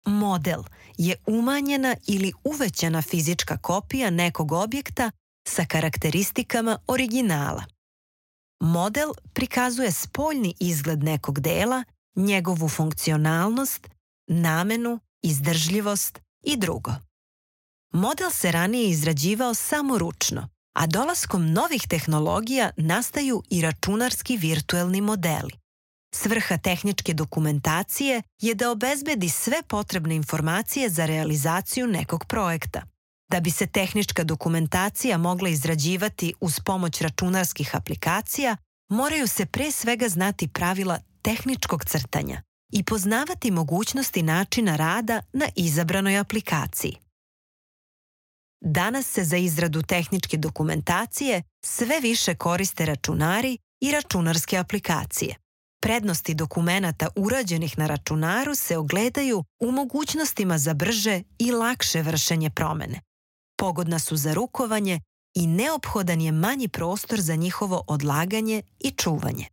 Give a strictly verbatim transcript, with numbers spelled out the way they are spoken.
Model je umanjena ili uvećana fizička kopija nekog objekta sa karakteristikama originala. Model prikazuje spoljni izgled nekog dela, njegovu funkcionalnost, namenu, izdržljivost i drugo. Model se ranije izrađivao samo ručno, a dolaskom novih tehnologija nastaju i računarski virtuelni modeli. Svrha tehničke dokumentacije je da obezbedi sve potrebne informacije za realizaciju nekog projekta. Da bi se tehnička dokumentacija mogla izrađivati uz pomoć računarskih aplikacija, moraju se pre svega znati pravila tehničkog crtanja i poznavati mogućnosti načina rada na izabranoj aplikaciji. Danas se za izradu tehničke dokumentacije sve više koriste računari i računarske aplikacije. Prednosti dokumenata urađenih na računaru se ogledaju u mogućnostima za brže i lakše vršenje promene. Pogodna su za rukovanje i neophodan je manji prostor za njihovo odlaganje i čuvanje.